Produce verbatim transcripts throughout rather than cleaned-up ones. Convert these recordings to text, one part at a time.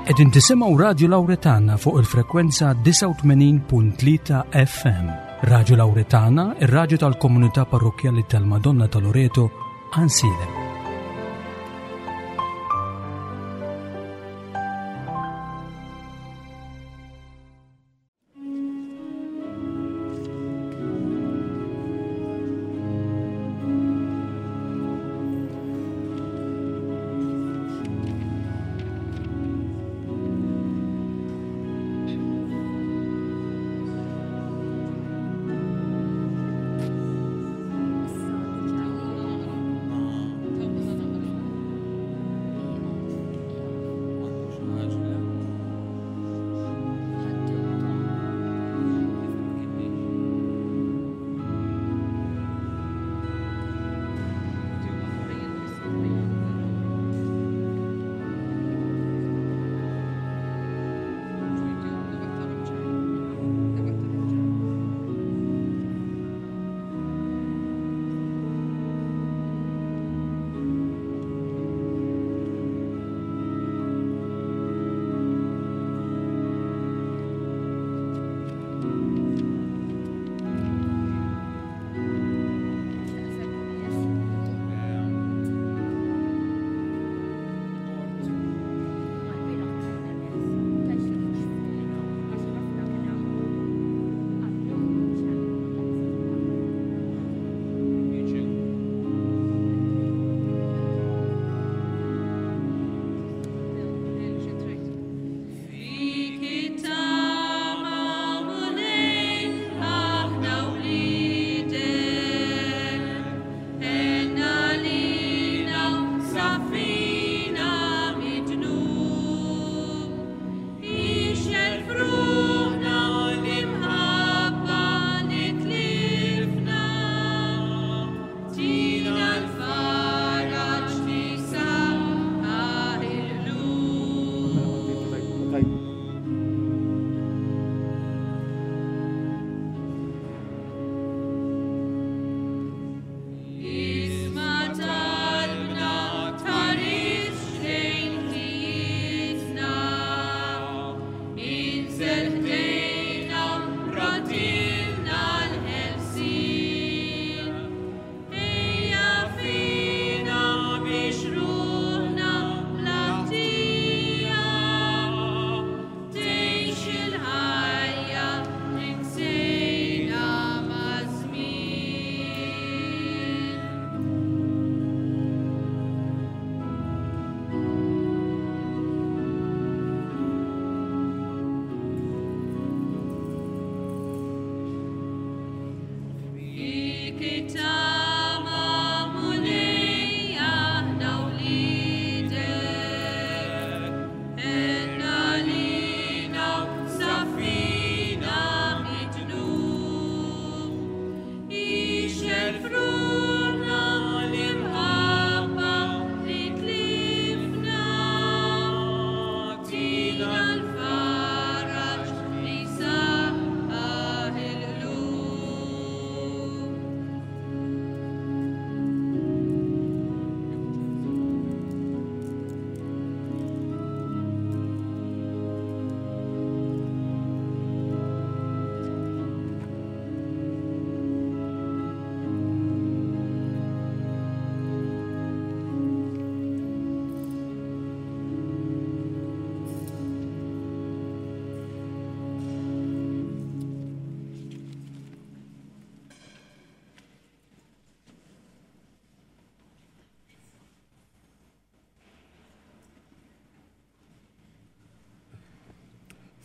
Qegħdin tisimgħu Radju Lawretana fuq il-frekwenza disgħa u tmenin punt tlieta F M. Radju Lawretana, ir-radju tal-Komunità Parrokkjali tal-Madonna ta' Loreto, Għajnsielem.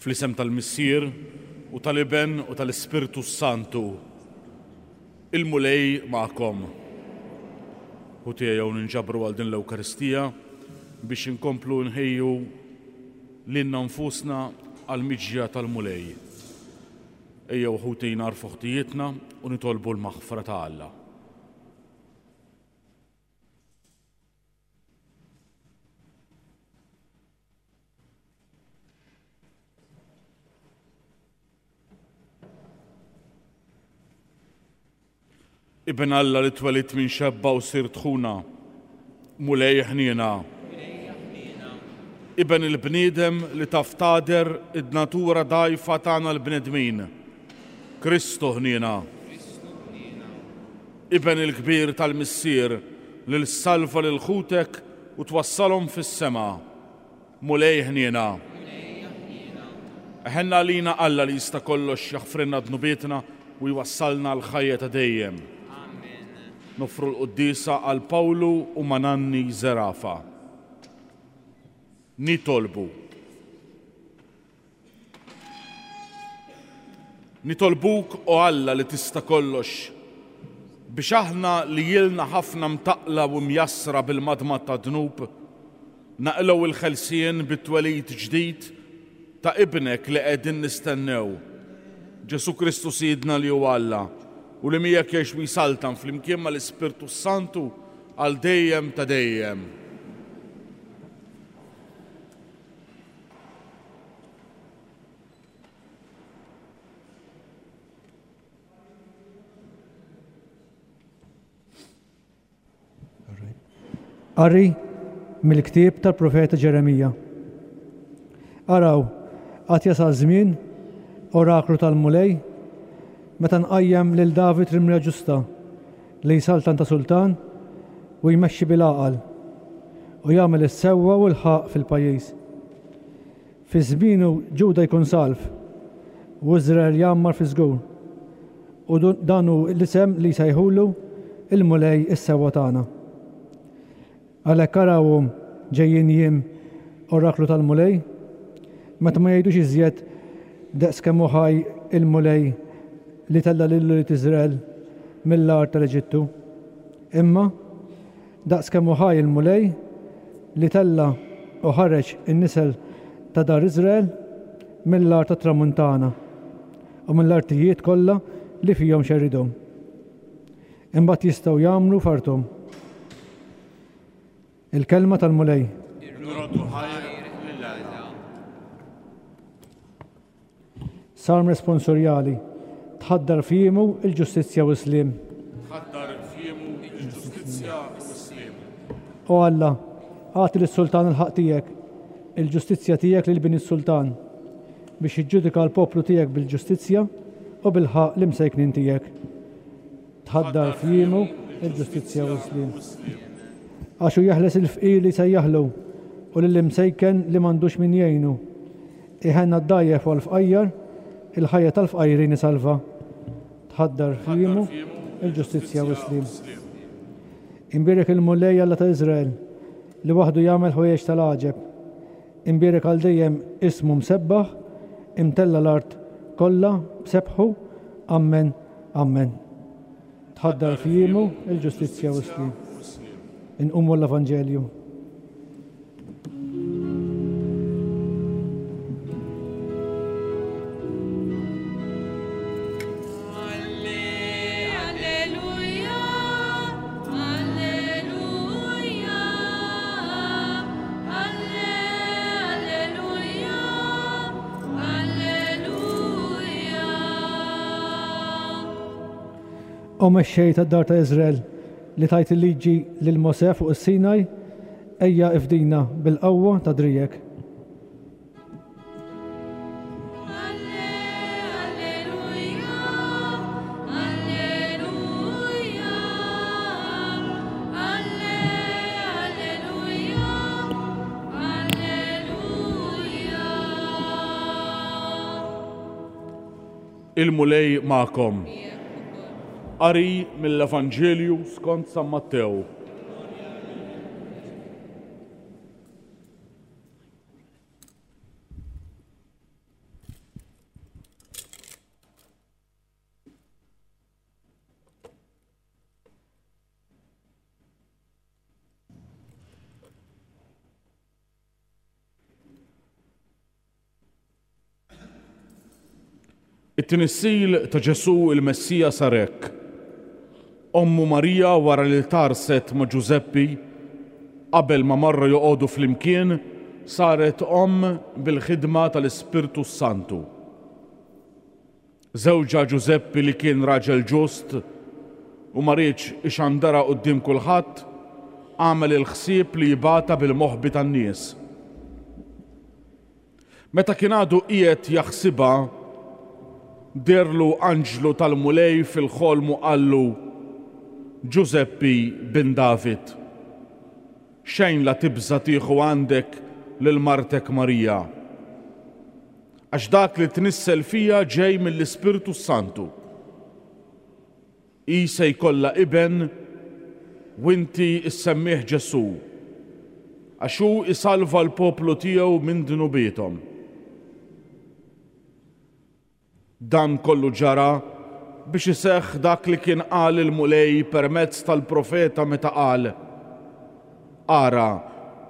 Fl-isem tal-Missier u tal-Iben u tal-Ispirtu Santu, il-Mulej magħkom. U tiegħu ninġabru għal din l-Ewkaristija biex inkomplu nħejju lilna nfusna għall-miġja tal-Mulej. Ejjew ħuti narfu ħtijietna u nitolbu l-maħfra ta' Alla. Ibn Alla li twelidt minn xebba u sirt ħuna, Mulej ħniena. Iben il-bniedem li taf tagħder id-natura dgħajfa tagħna l-bnedmin, Kristu ħniena. Iben il-kbir tal-Missier li ssalva lil ħutek u twassalhom fis-sema, Mulej ħniena. Ħenna għalina Alla li jista' kollox jaħfrilna dnubietna u jwassalna l-ħajja ta' dejjem. Noffru l-quddiesa għal Pawlu u Mananni Zerafa. Nitolbu. Nitolbuk, o Alla li tista' kollox, biex aħna li ilna ħafna mtaqla u mjassra bil-madmad ta' dnub, naqilgħu il-ħelsien bit-twelid ġdid ta' ibnek li qegħdin nistennew, Ġesù Kristu Sidna li huwa Alla, u li miegħek jgħix u jsaltan flimkien mal-Ispirtu Santu għal dejjem ta' dejjem. Qari mill-ktieb tal-profeta Ġeremija. Araw, għad jasal żmien, oraklu tal-Mulej, meta nqajjem lil David rimra ġusta li jsaltan ta' sultan u jmexxi bil-għaqal u jagħmel is-sewwa u l-ħaqq fil-pajjiż. Fi żmienu Ġuda jkun salv u Iżrael jgħammar fi żgur. U dan hu l-isem li jsejħulu il-Mulej is-sewwa tagħna. Għalhekk arawhom ġejjin jiem, oraklu tal-Mulej, meta ma jgħidux iżjed daqs kemm hu ħaj il-Mulej li tella' lil ulied Iżrael mill-art tal-Eġittu, imma daqs kemm hu ħaj il-Mulej li tella' u ħareġ in-nisel ta' dar Iżrael mill-art tat-Tramuntana u mill-artijiet kollha li fihom xerridhom. Imbagħad jistgħu jagħmlu f'arthom. Il-kelma tal-Mulej. Nroddu ħajr lil Alla. Salm responsorjali. Tħaddar f'jiemu il-ġustizzja u s-sliem. Tħaddar f'jiemu il-ġustizzja u s-sliem. O Alla, agħti lis-sultan il-ħaqq tiegħek, il-ġustizzja tiegħek lil bin is-sultan, biex jiġġudika l-poplu tiegħek bil-ġustizzja u bil-ħaqq l-imsejknin tiegħek. Tħaddar f'jiemu il-ġustizzja u s-sliem. Għax hu jeħles il-fqir li sejjaħlu u lill-imsejken li m'għandux min jgħinu. Iħenna d-dgħajjef u l-fqajjar, il-ħajja tal-fqajrin isalva. Tħaddar f'jiemu il-ġustizzja u s-sliem. Imbierek il-Mulej Alla ta' Iżrael li waħdu jagħmel ħwejjeġ tal-għaġeb. Imbierek għal dejjem ismu msebbaħ, imtella l-art kollha b'sebħu. Amen, amen. Tħaddar f'jiemu il-ġustizzja u s-sliem. Inqumu l-Evanġelju. Alleluja, alleluja, alleluja, alleluja. O mexxej tad-dar ta' Iżrael li tajt il-liġi lil Mosè fuq is-Sinaj, ejja ifdina bil-qawwa ta' drijek. Alleluja, alleluja, alleluja, alleluja. Il-Mulej magħkom. Qari mill-Evanġelju skont San Mattew. It-tnissil ta' Ġesù il-Messija sar hekk. Ommu Marija wara li tarset ma' Ġużeppi, qabel ma marru joqogħdu flimkien, saret omm bil-ħidma tal-Ispirtu Santu. Żewġha Ġużeppi li kien raġel ġust u ma riedx ixandara quddiem kulħadd, għamel il-ħsieb li jibgħatha bil-moħbi tan-nies. Meta kien għadu qiegħed jaħsibha, deherlu anġlu tal-Mulej fil-ħolm u qallu: Ġużeppi bin David, xejn la tibża' tieħu għandek lil martek Marija, għax dak li tnissel fija ġej mill-Ispirtu Santu. Hi se jkollha iben u inti ssemmih Ġesù, għax hu isalva l-poplu tiegħu minn dnubiethom. Dan kollu ġara biex iseħħ dak li kien qal il-Mulej permezz tal-profeta meta qal: Ara,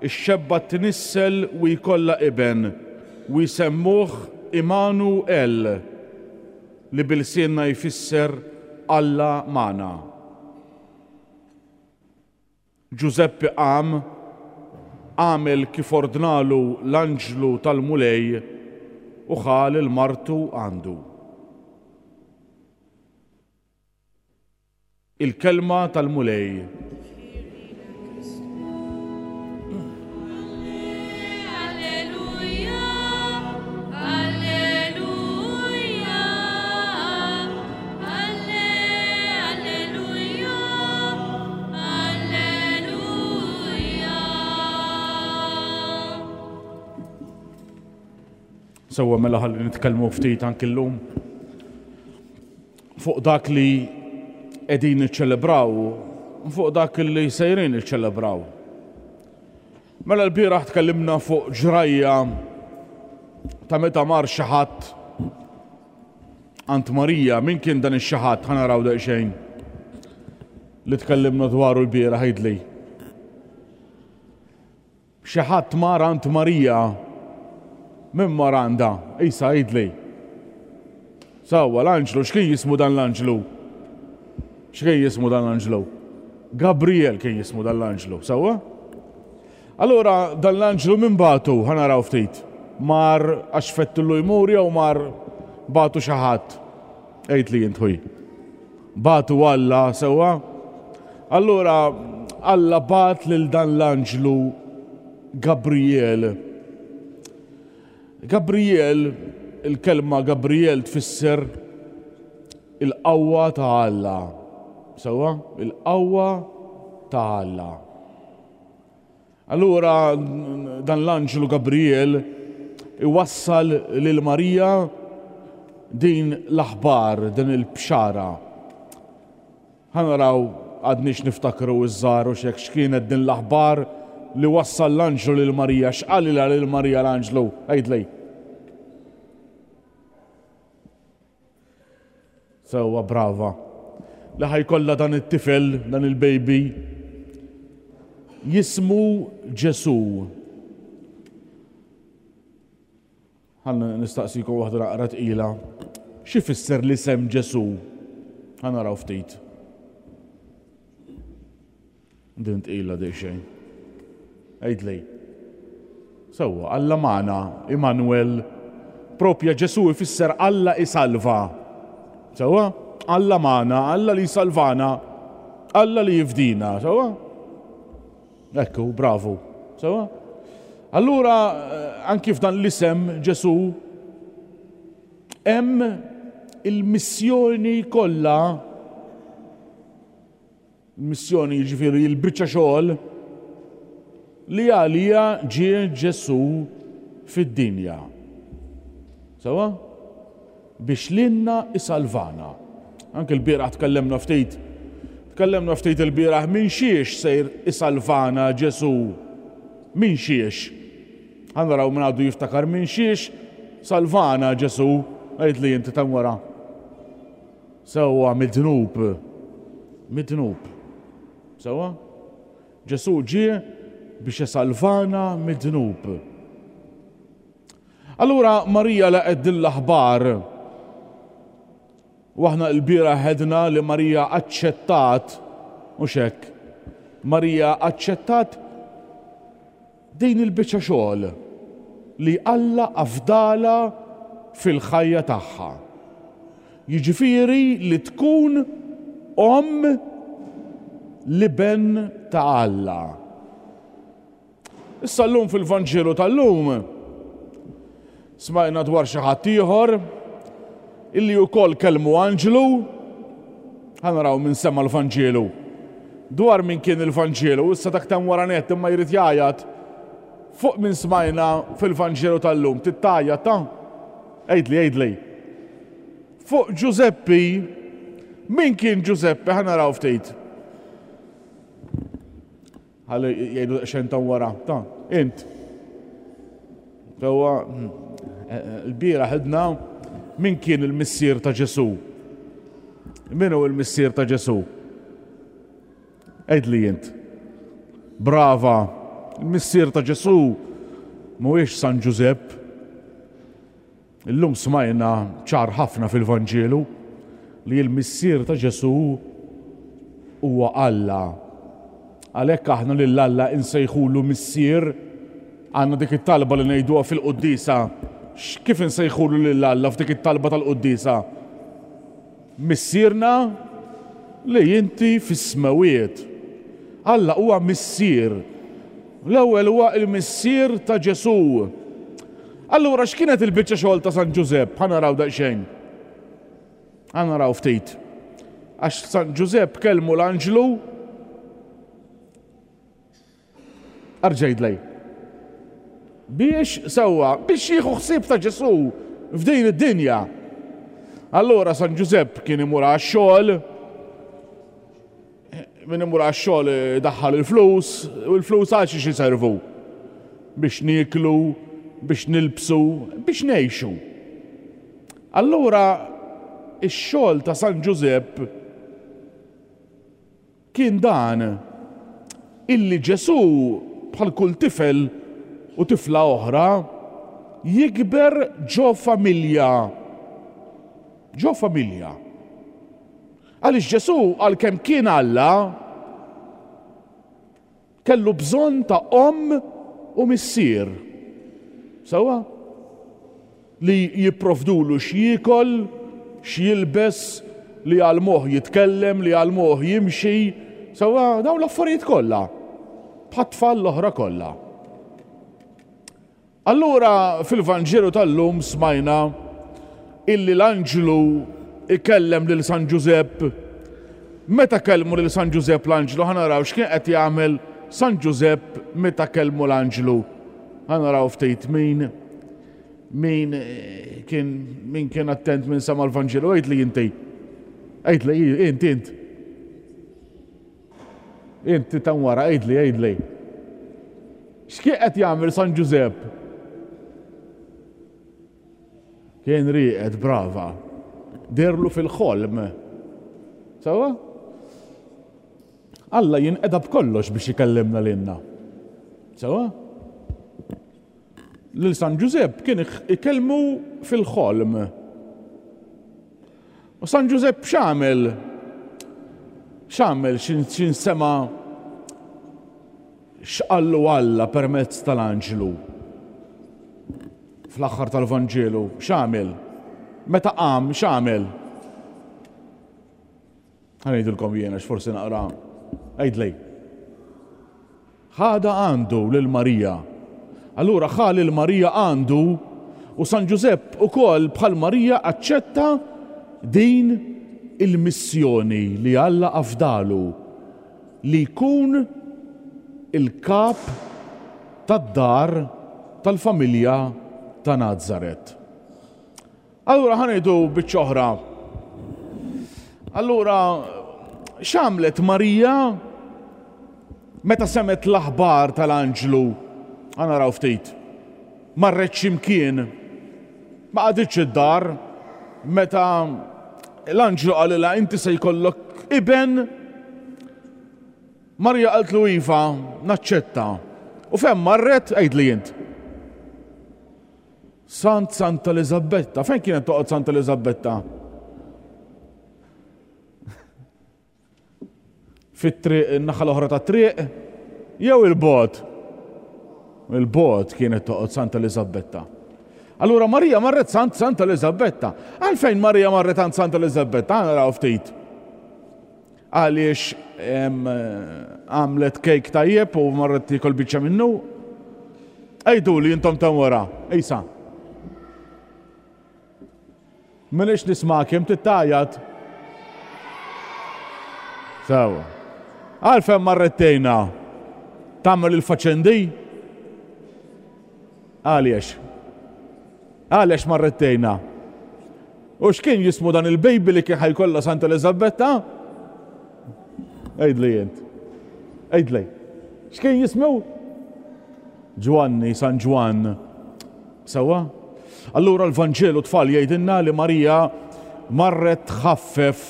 ix-xebba tnissel u jkollha iben u jsemmuh Imanu El, li bilsienna jfisser Alla magħna. Ġużeppi qam, għamel kif ordnalu l-anġlu tal-Mulej u ħa lil martu għandu. Il-kelma tal-Mulej. Alleluja, Alleluja, Alleluja, Alleluja. Sewwa, mela ħalli nitkellmu ftit anki llum fuq dak li qegħdin niċċelebraw, fuq dak li sejrin niċċelebraw. Mela l-bieraħ tkellimna fuq ġrajja ta' meta mar xi ħadd għand Marija. Min kien dan ix-xi ħadd? Ħa naraw daqsxejn li tkellimna dwaru l-bieraħ. Għidli. Xi ħadd mar għand Marija. Min mar għandha? Isa, għidli. Sewwa, l-anġlu. X'kien jismu dan l-anġlu? X'kien jismu dan l-anġlu? Gabriel kien jismu dan l-anġlu, sewwa? Allura dan l-anġlu min bagħtu? Ħa naraw ftit. Mar għax fettillu jmur jew mar bagħtu xi ħadd? Għid li int ħuj. Bagħtu Alla, sewwa? Allura Alla bagħat lil dan l-anġlu Gabriel. Gabriel, il-kelma Gabriel tfisser il-qawwa ta' Alla. Sewwa? Il-qawwa ta' Alla. Allura dan l-anġlu Gabriel iwassal lil Marija din l-aħbar, din il-bxara. Ħa naraw għadniex niftakru iż-żgħar u xek x'kienet din l-aħbar li wassal l-anġlu lil Marija. X'qalilha lil Marija l-anġlu? Għidli. Sewwa, brava. Li ħa jkollha dan it-tifel, dan il-baby, jismu Ġesù. Ħa nistaqsikom waħda naqra tqila. Xi fisser l-isem Ġesù? Ħa naraw ftit. Din tqila daqsxejn. Għidli. Sewwa, Alla magħna, Immanuel. Propja Ġesù ifisser Alla isalva. Sewwa? Alla magħna, Alla li jsalvana, Alla li jifdina, sewwa? Ekku, bravu. Sewwa? Allura, anki f'dan l-isem Ġesù hemm il-missjoni kollha, il-missjoni jiġifieri l-biċċa xogħol li għalija ġie Ġesù fid-dinja. Sewwa? Biex lilna isalvana. Anke l-bieraħ tkellimna ftit. Tkellimna ftit il-bieraħ minn xiex sejr isalvana Ġesù. Minn xiex. Ħa naraw minn għadu jiftakar minn xiex salvana Ġesù. Għid li inti tam wara. Sewwa, mid-dnub. Mid-dnub. Sewwa? Ġesù ġie biex isalvana mid-dnub. Allura Marija laqgħet din l-aħbar. U aħna l-bieraħ għedna li Marija aċċettat, mhux hekk, Marija aċċettat din il-biċċa xogħol li Alla afdala fil-ħajja tagħha. Jiġifieri li tkun omm l-iben ta' Alla. Issa llum fil-Vanġelu tal-lum Smajna dwar xi ħadd ieħor illi wkoll kellmu anġlu. Ħa naraw min sema l-Vanġelu. Dwar min kien il-Vanġelu, issa dak tam wara nett imma jrid jgħajjat. Fuq min smajna fil-Vanġelu tal-lum, tittajjat ta'? Għidli, għidli. Fuq Ġużeppi, min kien Ġużeppi? Ħa naraw ftit. Ħalli jgħidu xejn ta' wara. Ta' int. Sewwa, il-bieraħ għidna min kien il-missier ta' Ġesù. Min hu il-missier ta' Ġesù? Għidli int. Brava. Il-missier ta' Ġesù mhuwiex San Ġużepp. Illum smajna ċar ħafna fil-Vanġelu li l-missier ta' Ġesù huwa Alla. Għalhekk aħna lil Alla insejħulu missier. Għandna dik it-talba li ngħiduha fil-quddiesa. Kif insejħulu lil Alla f'dik it-talba tal-quddiesa? Missierna li inti fis-smewiet. Alla huwa missier. L-ewwel huwa il-missier ta' Ġesù. Allura x'kienet il-biċċa xogħol ta' San Ġużepp? Ħa naraw daqsxejn. Ħa naraw ftit. Għax San Ġużepp kellmu l-anġlu. Arġejdlej. Biex sewwa, biex jieħu ħsieb ta' Ġesù f'din id-dinja. Allura San Ġużepp kien imur għax-xogħol, min imur għax-xogħol daħħal il-flus, u l-flus għal xiex iservu? Biex nieklu, biex nilbsu, biex ngħixu. Allura ix-xogħol ta' San Ġużepp kien dan, illi Ġesù bħal kull tifel u tifla oħra jikber ġo familja. Ġo familja. Għaliex Ġesù għalkemm kien Alla kellu bżonn ta' omm u missier. Sewwa? Li jipprovdulu x'jiekol, x'jilbes, li għalmuh jitkellem, li għalmuh jimxi. Sewwa, dawn l-affarijiet kollha. Bħat-tfal l-oħra kollha. Allura fil-Vanġelu tal-lum smajna illi l-anġlu ikellem lil San Ġużepp. Meta kellmu lil San Ġużepp l-anġlu, ħa naraw x'kien qed jagħmel San Ġużepp meta kellmu l-anġlu. Ħa naraw ftit min, min kien, min kien attent minn sama l-Vanġelu. Għidli inti. Għidli, int, int. Inti tan wara, għidli, għidli. X'kien qed jagħmel San Ġużepp? Kien rieqed, brava. Derlu fil-ħolm. Sewwa? Alla jinqeda b'kollox biex ikellimna lilna. Sewwa? Lil San Ġużepp kien ikellmu fil-ħolm. U San Ġużepp x'għamel? X'għamel x'in sema x'qallu Alla permezz tal-anġlu? Fl-aħħar tal-Vanġelu, x'għamel? Meta qam, x'għamel? Ħa ngħidilkom jiena x'forsi naqra. Għidli. Ħada għandu lil Marija. Allura ħa lil Marija għandu u San Ġużepp ukoll bħal Marija aċċetta din il-missjoni li Alla afdalu li jkun il-kap tad-dar tal-familja ta' Nazaret. Allura ħa ngħidu biċċa oħra. Allura x'għamlet Marija meta semgħet l-aħbar tal-anġlu? Ħa naraw ftit. Marret x'imkien, ma qagħditx id-dar meta l-anġlu qalilha inti se jkollok iben. Marija qaltlu iva, naċċetta. U fejn marret? Għidli int. Sant Santa Eliżabetta. Fejn kienet toqgħod Santa Eliżabetta? Fit-triq, in-naħa l-oħra tat-triq, jew il-bogħod? Il-bogħod kienet toqgħod Santa Eliżabetta. Allura Marija marret Sant Santa Eliżabetta. Għalfejn Marija marret għand Santa Eliżabetta? Ħa naraw ftit. Għaliex, em, għamlet kejk tajjeb u marret tiekol biċċa minnu? Għidu li intom ta' wara. Isa. M'iniex nismagħkom tgħajjat. Sewwa. Għalfejn marret tgħinha? Tagħmel il-faċendi? Għaliex? Għaliex marret tgħinha? U x'kien jismu dan il-baby li kien ħa jkollha Santa Elizabetta? Għidli jent. Għidli. X'kien jismu? Ġwanni, San Ġwann. Sewwa? Allura l-Vanġelu, tfal, jgħidilna li Marija marret tħaffef,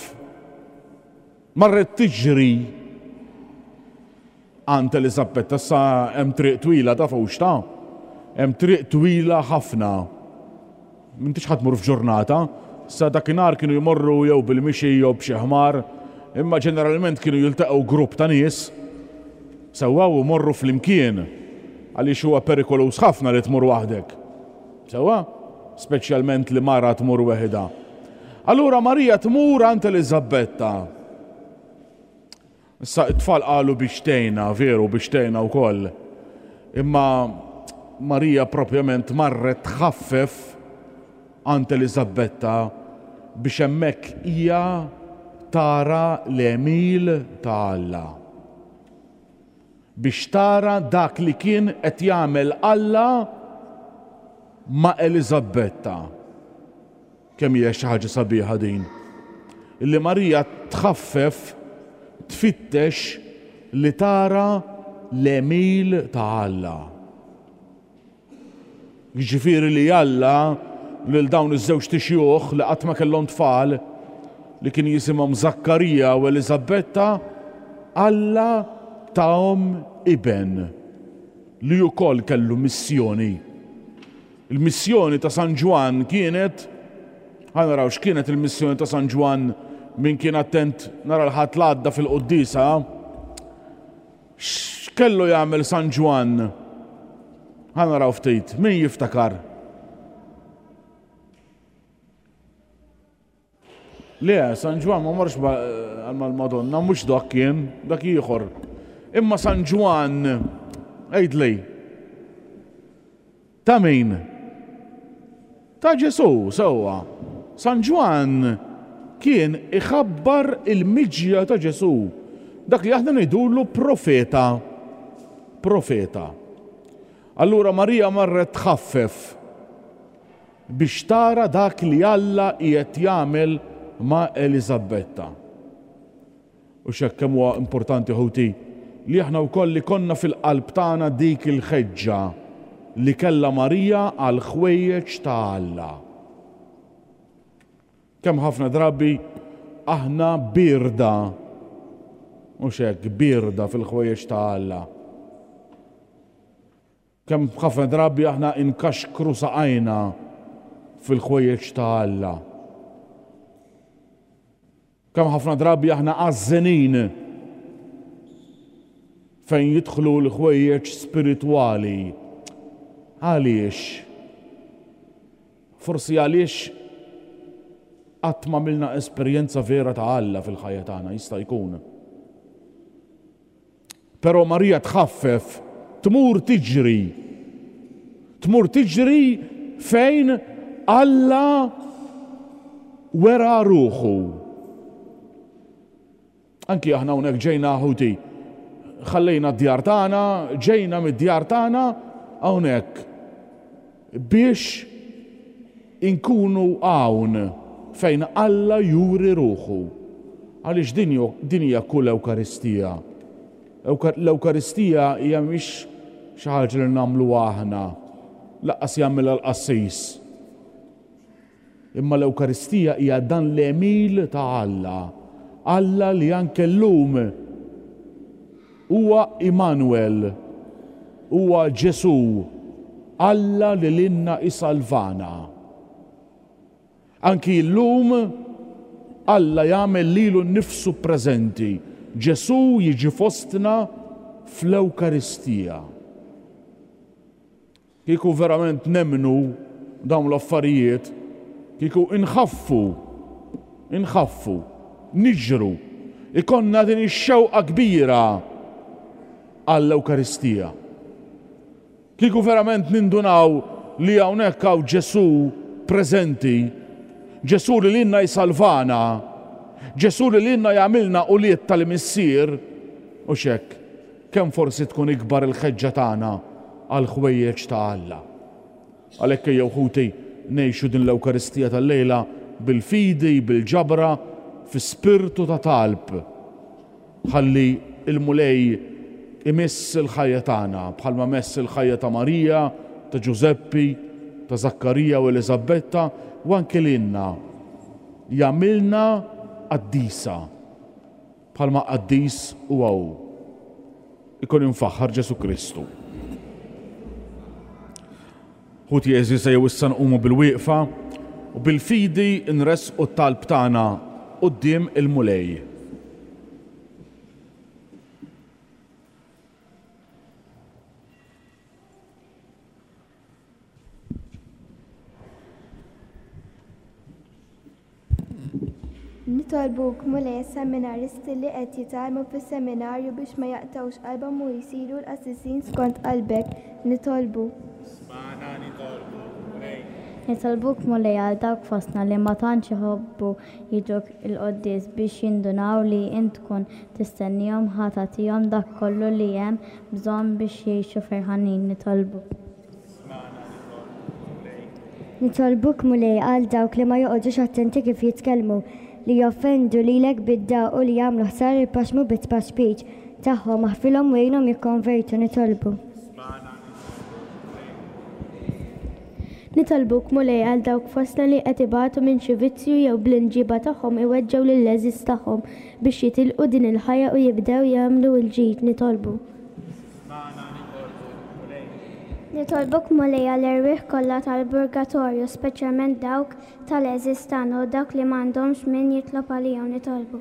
marret tiġri għand Elizabetta. Sa hemm triq twila ta' fawx ta' hemm triq twila ħafna. M'intix ħa tmur f'ġurnata, sa dakinhar kienu jmorru jew bil-mixi jew b'xi ħmar, imma ġeneralment kienu jiltaqgħu grupp ta' nies sewwa u morru flimkien għaliex huwa perikoluż ħafna li tmur waħdek. Sewwa? Speċjalment li mara tmur weħida. Allura Marija tmur għand Elizabetta. Issa it-tfal qalu biex tgħinha, veru, biex tgħinha wkoll. Imma Marija propjament marret tħaffef għand Elizabetta biex hemmhekk hija tara l-għemil ta' Alla. Biex tara dak li kien qed jagħmel Alla ma' Elizabetta. Kemm hija xi ħaġa sabiħa din. Illi Marija tħaffef tfittex li tara l-għemil ta' Alla. Jiġifieri li Alla lil dawn iż-żewġ xjuħ li qatt ma kellhom tfal, li kien jisimhom Zakkarija u Elizabetta, Alla tahom iben li wkoll kellu missjoni. Il-missjoni ta' San Ġwann kienet, ħa naraw x'kienet il-missjoni ta' San Ġwann, min kien attent nhar il-Ħadd l-għadda fil-quddiesa. X'kellu jagħmel San Ġwann? Ħa naraw ftit, min jiftakar? Le, San Ġwann ma marx mal-Madonna, mhux dak kien, dak ieħor. Imma San Ġwann, għidli, ta' min? Ta' Ġesù, sewwa. San Ġwann kien iħabbar il-miġja ta' Ġesù. Dak li aħna ngħidulu profeta. Profeta. Allura Marija marret tħaffef biex tara dak li Alla qiegħed jagħmel ma' Elizabetta. U x'hekk kemm huwa importanti, ħuti, li aħna wkoll li konna fil-qalb tagħna dik il-ħeġġa li kellha Marija għal ħwejjeġ ta' Alla. Kemm ħafna drabi aħna birda, mhux hekk, birda fil-ħwejjeġ ta' Alla. Kemm ħafna drabi aħna inkaxkru saqajna fil-ħwejjeġ ta' Alla. Kemm ħafna drabi aħna għażżenin fejn jidħlu l-ħwejjeġ spiritwali. Għaliex? Forsi għaliex qatt ma għamilna esperjenza vera ta' Alla fil-ħajja tagħna, jista' jkun. Però Marija tħaffef, tmur tiġri. Tmur tiġri fejn Alla wera ruħu. Anki aħna hawnhekk ġejna, ħuti, ħallejna d-djar tagħna, ġejna mid-djar tagħna hawnhekk biex inkunu hawn fejn Alla juri ruħu. Għaliex din hija kull Ewkaristija. L-Ewkaristija hija mhix xi ħaġa li nagħmlu aħna, lanqas jagħmilha l-qassis. Imma l-Ewkaristija hija dan l-għemil ta' Alla. Alla li anke llum huwa Immanuel, huwa Ġesù, Alla li lilna isalvana. Anki llum Alla jagħmel lilu nnifsu preżenti. Ġesù jiġi fostna fl-Ewkaristija. Kieku verament nemmnu dawn l-affarijiet, kieku inħaffu, inħaffu, niġru, ikonna din ix-xewqa kbira għall-Ewkaristija. Kieku verament nindunaw li hawnhekk hawn Ġesù preżenti, Ġesù li lilna jsalvana, Ġesù li lilna jagħmilna ulied tal-Missier, u xek, kemm forsi tkun ikbar il-ħeġġa tagħna għal ħwejjeġ ta' Alla. Għalhekk ejjew ħuti ngħixu din l-Ewkaristija tal-lejla bil-fidi, bil-ġabra, fi spirtu ta' talb. Ħalli il-Mulej imiss il-ħajja tagħna bħalma mess il-ħajja ta' Marija, ta' Ġużeppi, ta' Zakkarija u Eliżabetta, u anke lilna jagħmilna qaddisa bħalma qaddis huwa hu. Ikun imfaħħar Ġesù Kristu. Ħuti għeżież, ejjew issa nqumu bil-wieqfa u bil-fidi nressqu t-talb tagħna quddiem il-Mulej. Nitolbuk, Mulej, seminaristi li qed jitgħallmu fis-seminarju biex ma jaqtgħux qalbhom u jsiru l-qassisin skont qalbek. Nitolbu. Smana nitolbu, Mulej. Nitolbuk, Mulej, għal dawk fostna li ma tantx iħobbu jiġu l-quddies biex jindunaw li int tkun tistennihom ħa tagħtihom dak kollu li hemm bżonn biex jgħixu ferħanin. Nitolbu. Nitolbuk, Mulej, għal dawk li ma joqogħdux attenti kif jitkellmu, li joffendu lilek bid-dagħa u li jagħmlu ħsara lill-proxxmu bit-tpaxpiċ tagħhom, aħfilhom u għinhom jikkonvertu. Nitolbu. Nitolbuk, Mulej, għal dawk fostna li qed ibatu minn xi vizzju jew bl-inġiba tagħhom iweġġgħu lill-għeżież tagħhom biex jitilqu din il-ħajja u jibdew jagħmlu l-ġid. Nitolbu. Nitolbuk, Mulej, għall-erwieħ kollha tal-purgatorju, speċjalment dawk tal-għeżież tagħna u dawk li m'għandhomx min jitlob għalihom. Nitolbu.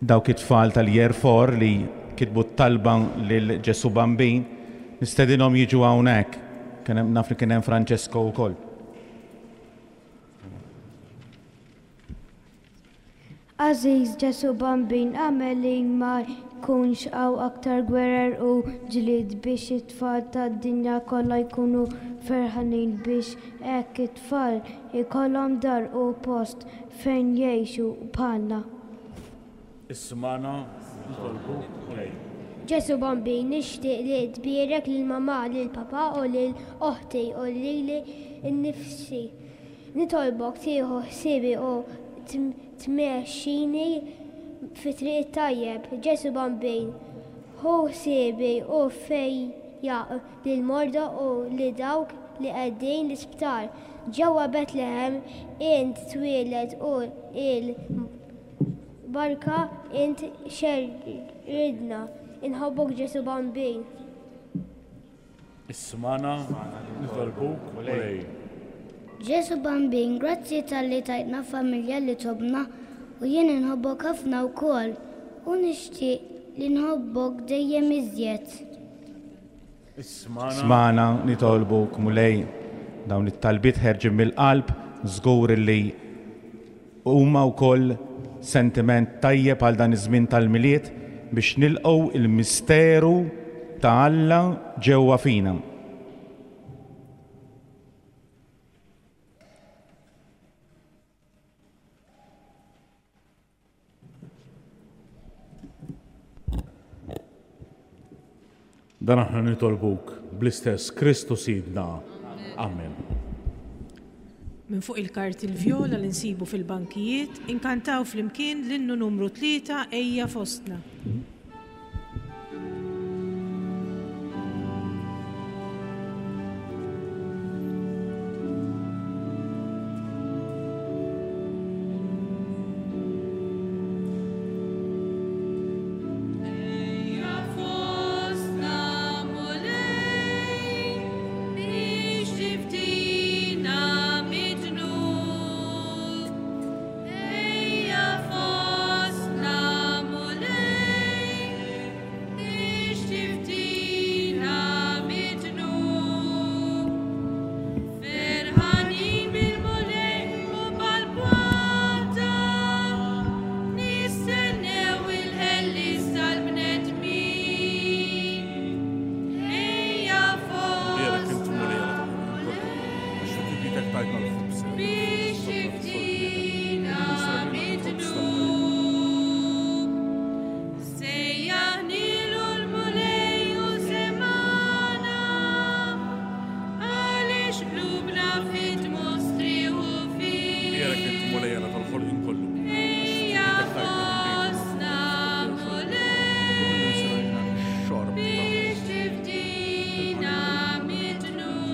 Dawk it-tfal tal-Year four li kitbu t-talba lil Ġesù Bambin, nistedinhom jiġu hawnhekk. Kien hemm, naf li kien hemm Francesco wkoll. Għażiż Ġesù Bambin, agħmel li ma jkunx hawn aktar gwerer u ġlied biex it-tfal tad-dinja kollha jkunu ferħanin, biex hekk it-tfal ikollhom dar u post fejn jgħixu bħalna. Ismana nitolbu, Mulej. Ġesù Bambin, nixtieq li tbierek lil mamà, lil papà u lil oħti u lili nnifsi. Nitolbok tieħu ħsiebi u tmexxini fi triq tajjeb. Ġesù Bambin, ħu ħsiebi u fejjaq lil morda u li dawk li qegħdin l-isptar. Ġewwa Betlehem int twieled u il-barka int xerridna. Inħobbok Ġesù Bambin. Ismana nitolbuk, Mulej. Ġesù Bambin, grazzi talli tajtna familja li tobna u jien inħobbok ħafna wkoll u nixtieq li nħobbok dejjem iżjed. Ismana. Ismana nitolbuk, Mulej. Dawn it-talbiet ħerġin mill-qalb, żgur li huma wkoll sentiment tajjeb għal dan iż-żmien tal-Milied biex nilqgħu il-misteru ta' Alla ġewwa fina. Dan aħna nitolbuk bl-istess Kristu Sidna. Amen. Minn fuq il-karti l-vjola li nsibu fil-bankijiet, inkantaw flimkien l-innu numru tlieta Ejja Fostna. Ejja fostna Mulej Tajtna l-ħobż. Biex tifdina mid-dnub. Sejjaħnilu l-Mulej u semana, għaliex qlubna fit-mostrieħu fih. Bierek int Mulej Alla tal-ħolqien kollu. Ejja fostna Mulej, Xorb. biex tifdina mid-dnub.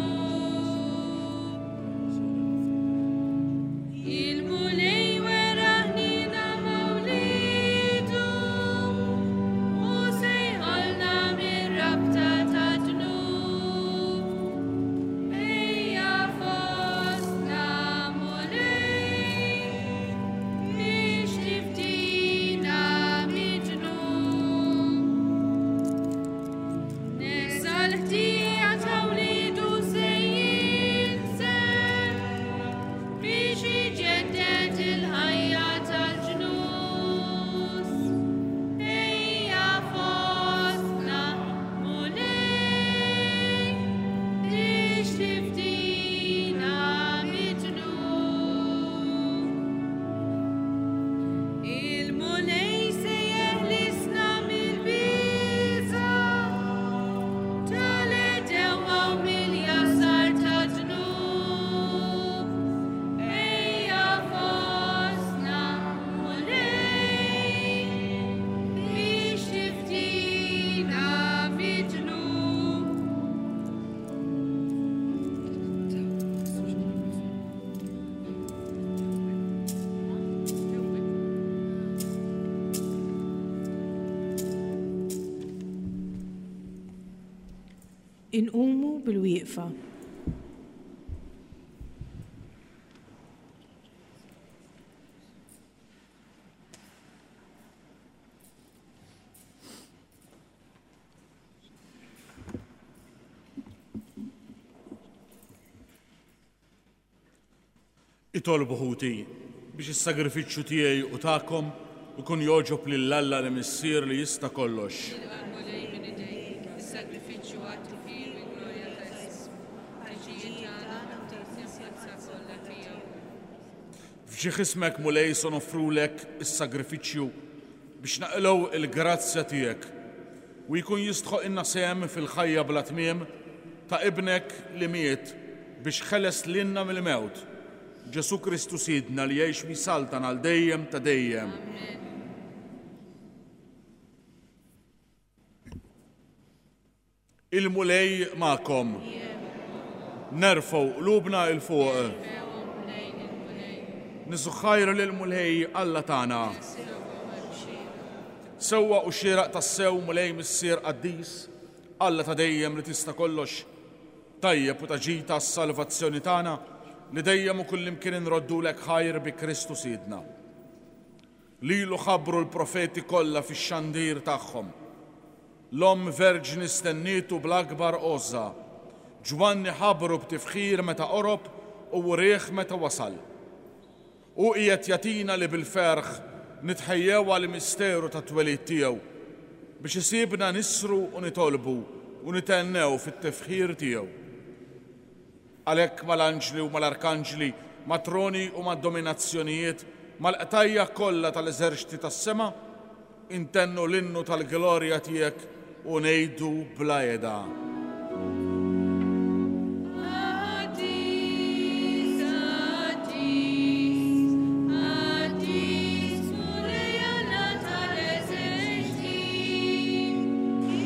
Il-Mulej wera ħniena ma' wliedu, u sejħalna mir-rabta tad-dnub. Ejja fostna Mulej, biex tifdina mid-dnub. Nesa l-ħtija ta' wliedu se jinżel biex iġedded il-ħajja tal-ġnus. Ejja fostna Mulej, biex tifdina mid-dnub. Il-Mulej se jeħlisna mill-biża' tal-għedewwa u mill-jasar tad-dnub. Ejja fostna Mulej, biex tifdina mid-dnub. Inqumu bil-wieqfa. Itolbu ħuti biex is-sagrifiċċju tiegħi u tagħkom ikun jogħġob lil Alla li Missier li jista' kollox. Mulej minn idejk, is-sagrifiċċju għat-tifħir u l-glorja ta' ismu, għal-ġid tagħna u tal-Knisja kollha tiegħu. F'ġieħ ismek Mulej se noffrulek is-sagrifiċċju biex naqilgħu il-grazzja tiegħek u jkun jistħoq sehem fil-ħajja bla tmiem ta' ibnek li miet biex ħeles lilna mill-mewt. Ġesu Kristu Sidna li jgħix u jsaltan għal dejjem ta' dejjem. Il-Mulej magħkom. Nerfgħu qlubna 'l fuq. Niżżu ħajr lill-Mulej Alla tagħna. Sewwa u xieraq tassew Mulej Missier Qaddis, Alla ta' dejjem li tista' kollox, tajjeb u ta' ġid għas-salvazzjoni tagħna li dejjem u kullimkien inroddulek ħajr bi Kristu Sidna. Lilu ħabbru l-profeti kollha fix-xandir tagħhom. L-Omm Verġni stennietu bl-akbar għożża. Ġwanni ħabbru b'tifħir meta qorob u wrieh meta wasal. U qiegħed jagħtina li bil-ferħ nitħejjew għall-misteru tat-twelid tiegħu biex isibna nisru u nitolbu u nitennew fit-tifħir tiegħu. Għalhekk mal-anġli u mal-arkanġli, mat-troni u mad-dominazzjonijiet, mal-qtajja kollha tal-eżerċti tas-sema, intennu l-innu tal-glorja tiegħek u ngħidu bla heda. Qaddis, qaddis, qaddis, Mulej Alla tal-eżerċti,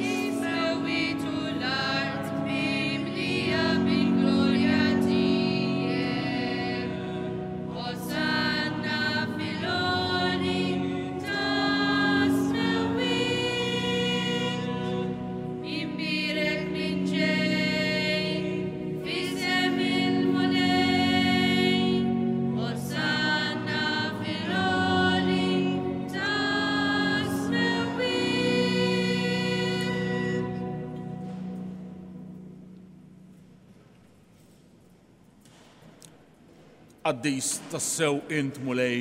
is-sewwiet u l-art mimlija bil-glorja tiegħek. Hosanna fil-għoli tas-smewwiet, imbierek min ġej f'isem il-Mulej. Hosanna fil-għoli tas-smewwiet. Qaddis tassew int Mulej,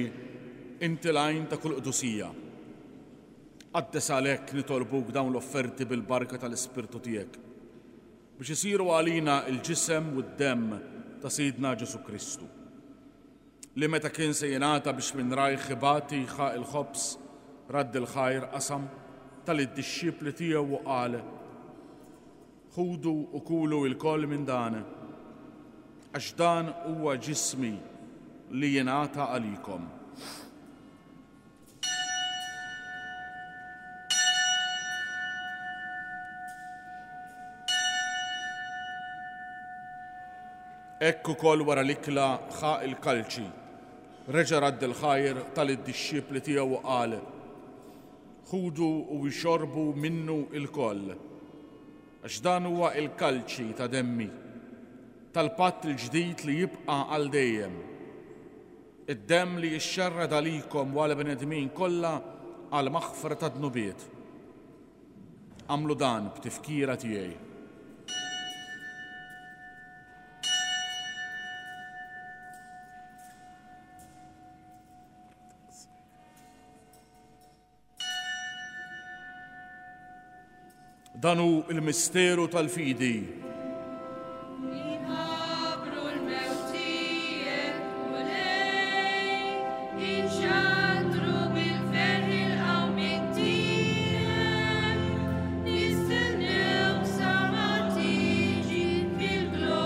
inti l-għajn ta' kull qdusija. Qaddes għalhekk nitolbuk dawn l-offerti bil-barka tal-Ispirtu tiegħek, biex isiru għalina il-ġisem u d-demm ta' Sidna Ġesù Kristu. Li meta kien se jingħata biex minn rajh ibati ħa il-ħobż, radd il-ħajr qasam tal-dixxipli tiegħu u qal: Ħudu u kulu lkoll minn dan, għax dan huwa ġismi li jingħata għalikom. Hekk ukoll wara l-ikla ħa il-kalċi, reġa' radd il-ħajr tal-dixxipli tiegħu u qal: Ħudu u ixorbu minnu lkoll, għax dan huwa il-kalċi ta' demmi, tal-patt il-ġdid li jibqa' għal dejjem. Id-demm li jixxerrad għalikom u għal bnedmin kollha għal maħfra ta' dnubiet. Għamlu dan b'tifkira tiegħi. Dan hu il-misteru tal-fidi. Inħabbru l-mewt tiegħek, Mulej, inxandru bil-ferħ il-qawmien tiegħek, nistennew sa ma tiġi fil-glorja.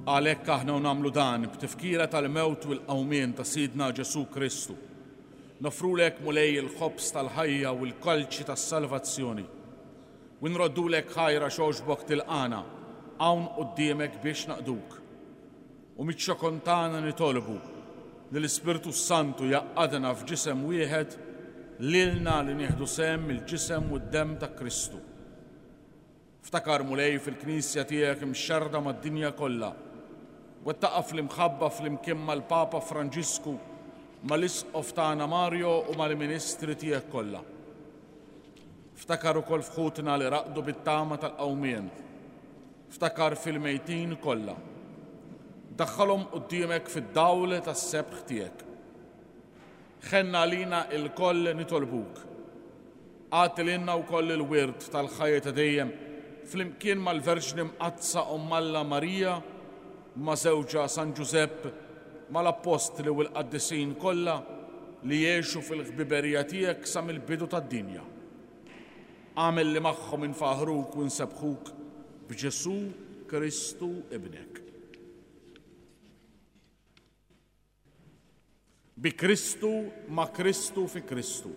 Għalhekk aħna nagħmlu dan b'tifkira tal-mewt u l-qawmien ta' Sidna Ġesù Kristu. Nofrulek Mulej il-ħobż tal-ħajja u l-kalċi tas-salvazzjoni. U nroddulek ħajra xogħxbok tilqana hawn quddiemek biex naqduk. U miċ-ċokon tagħna nitolbu li l-Ispirtu Santu jaqadna f'ġisem wieħed lilna li nieħdu sehem mill-ġisem u d-demm ta' Kristu. Ftakar Mulej fil-Knisja tiegħek imxerrda mad-dinja kollha. Wettaqa' fl-imħabba flimkien mal-Papa Franġisku, mal-Isqof tagħna Mario u mal-Ministri tiegħek kollha. Ftakar ukoll f'ħutna li raqdu bit-tama tal-qawmien. Ftakar fil-mejtin kollha. Daħħalhom quddiemek fid-dawl tas-sebħ tiegħek. Ħenna għalina lkoll nitolbuk. Agħti lilna wkoll il-wirt tal-ħajja ta' dejjem flimkien mal-Verġni Mqaddsa Omm Alla Marija, ma' żewġha San Ġużepp, mal-appostli u l-qaddisin kollha li jgħixu fil-ħbiberija tiegħek sa mill-bidu tad-dinja. Agħmel li magħhom infaħruk u nsebbħuk b'Ġesù Kristu ibnek. Bi Kristu, ma' Kristu, fi Kristu.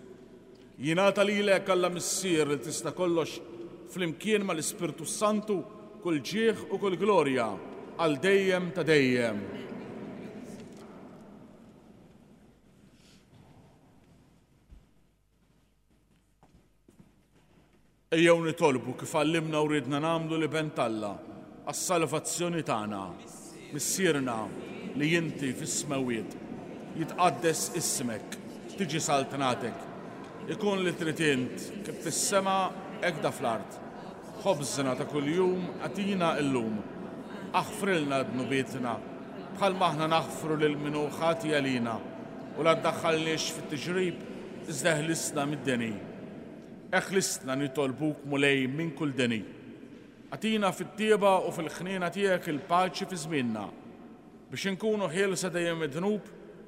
Jingħata lilek Alla Missier li tista' kollox flimkien mal-Ispirtu Santu kull ġieħ u kull glorja għal dejjem ta' dejjem. Ejjew nitolbu kif għallimna u ridna nagħmlu li ben t'Alla għas-salvazzjoni tagħna. Missierna li inti fis-smewwiet, jitqaddes ismek, tiġi saltnatek, ikun li trid int kif fis-sema hekk da fl-art. Ħobżna ta' kuljum agħtina llum. Aħfrilna dnubietna bħalma aħna naħfru lil min hu ħati għalina, u la ddaħħalniex fit-tiġrib iżda ħlisna mid-deni. Eħlisna nitolbuk Mulej minn kull deni. Agħtina fit-tieba u fil-ħniena tiegħek il-paċi fi żmienna, biex inkunu ħielsa dejjem mid-dnub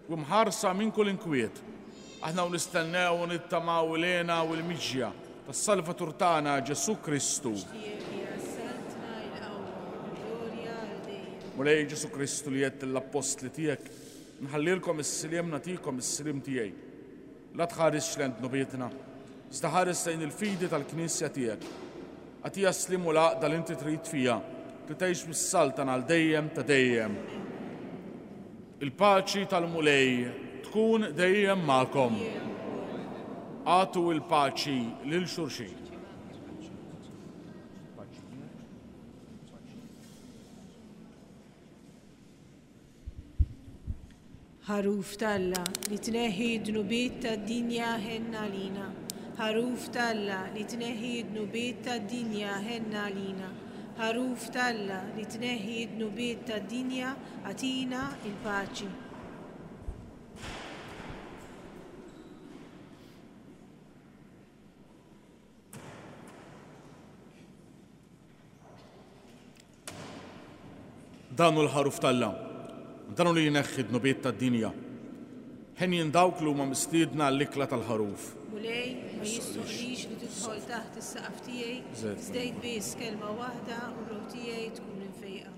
u mħarsa minn kull inkwiet. Aħna u nistennew u nittamaw lena u l-miġja tas-Salvatur tagħna Ġesù Kristu. Mulej Ġesù Kristu li għedt lill-appostli tiegħek, nħallilkom is-sliem nagħtikom is-sliem tiegħi. La tħarisx lejn dnubietna, iżda ħares lejn il-fidi tal-Knisja tiegħek. Agħtiha s-sliem u l-għaqda li inti trid fiha, li tgħix bis-saltana għal dejjem ta' dejjem. Il-paċi tal-Mulej tkun dejjem magħkom. Agħtu l-paċi lil xulxin. Ħaruf t'Alla li tneħħi d-dnubiet tad-dinja ħenna għalina. Ħaruf t'Alla li tneħħi d-dnubiet tad-dinja ħenna għalina. Ħaruf t'Alla li tneħħi d-dnubiet tad-dinja agħtina l-paċi. Dan hu l-Ħaruf t'Alla, dan hu li jneħħi d-dnubiet tad-dinja. Henjin dawk li huma mistiedna għall-ikla tal-Ħaruf. Mulej, ma jistħoqqlix li tidħol taħt is-saqaf tiegħi, iżda għid biss kelma waħda u r-ruħ tiegħi tkun imfejqa.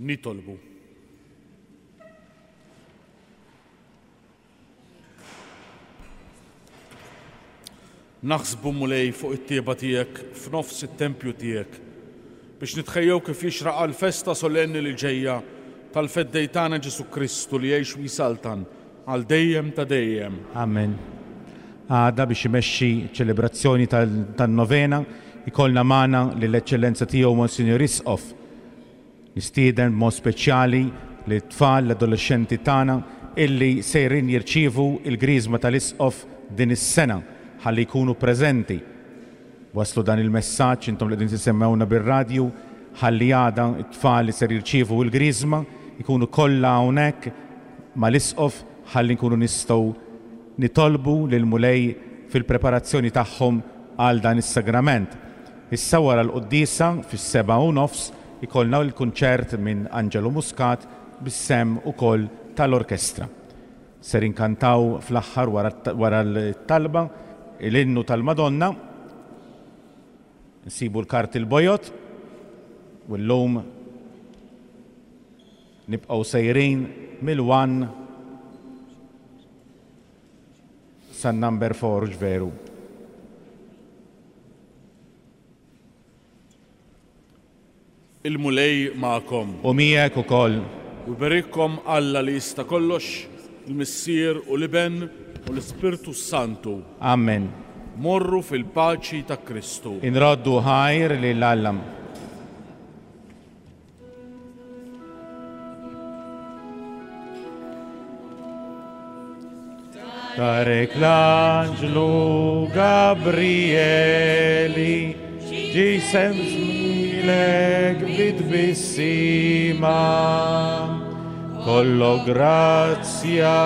Nitolbu. Naħsbu, Mulej, fuq it-tieba tiegħek f'nofs it-tempju tiegħek biex nitħejjew kif jixraq għall-festa solenni li ġejja tal-Feddej tagħna Ġesù Kristu li jgħix u jsaltan għal dejjem ta' dejjem. Amen. Għada biex imexxi ċelebrazzjoni tan-novena ikollna magħna lill-Eċċellenza tiegħu Monsinjur Isqof. Nistieden b'mod speċjali lit-tfal, l-adolexxenti tagħna illi sejrin jirċievu il-griżma tal-Isqof din is-sena ħalli jkunu preżenti. Waslu dan il-messaġġ intom li qegħdin tisemmewna bir-radju ħalli għada t-tfal li ser jirċievu l-griżma jkunu kollha hawnhekk mal-Isqof ħalli nkunu nistgħu nitolbu lill-Mulej fil-preparazzjoni tagħhom għal dan is-sagrament. Issa wara l-quddiesa fis-seba' u nofs ikollna l-kunċert minn Angelo Muscat bis-sem ukoll tal-orkestra. Ser inkantaw fl-aħħar wara l-talba l-innu tal-Madonna, nsibu l-karti l-bojot u llum nibqgħu sejrin mill-one san number four, veru. Il-Mulej magħkom. U miegħek ukoll. U jberikkom Alla li jista' kollox, il-Missier u l-Iben u l-Ispirtu Santu. Amen. Morru fil-paċi ta' Kristu. Inroddu ħajr lil Alla. Tarek l-anġlu Gabrieli ġi semżmilek bit-tbissima, kollo grazzja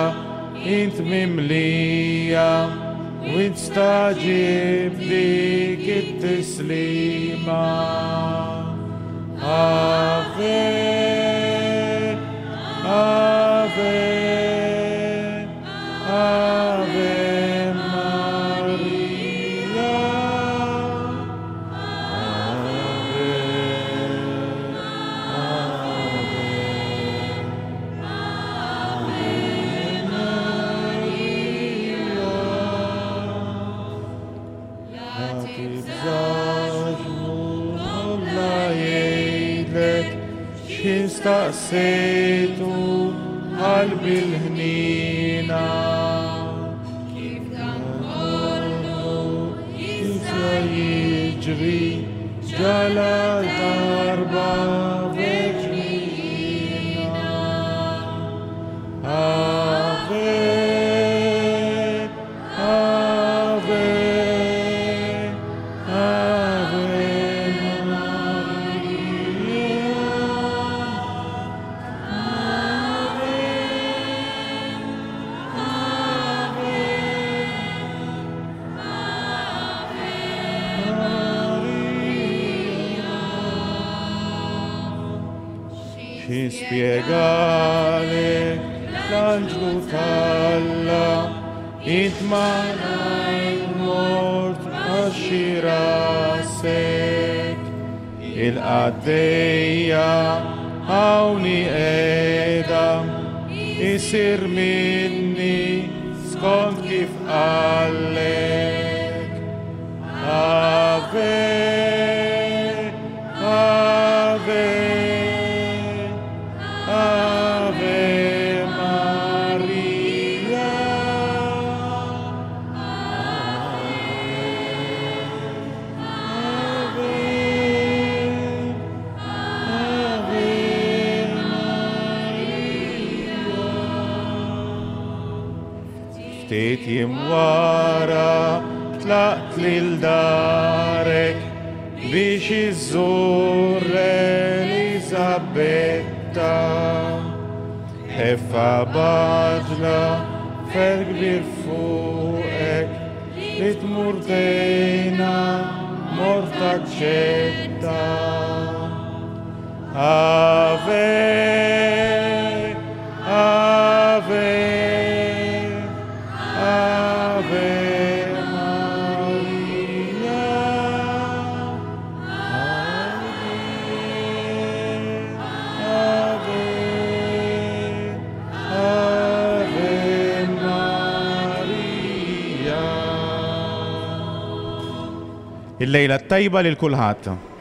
int mimlija u int staġib dik it-tislima. Ave, Ave, Ave Maria, Ave, Ave, Ave Maria. La tibżax Alla jgħidlek x'ħin staqsejtu qalbi l-ħnina. Kif dan kollu jista' jiġri ġala darba verġnina. Ave, Ave, Ave Maria. Ave, Ave, Maria. Xi spjegalek l-anġlu t'Alla, int malajr mort għax rasek. Il-qaddejja hawn qiegħda isir minni skont kif qallek. Ave, Ave, Ave Maria. Ave, Ave Maria. Ftit jiem wara tlaqt lil darek biex iżżur Eliżabetta. Ħeffa baġla fer kbir fuqek li tmur tgħinha mort taċċetta. Ave, Ave, Ave Maria. Ave, Ave, Il-lejla t-tajba lil kulħadd.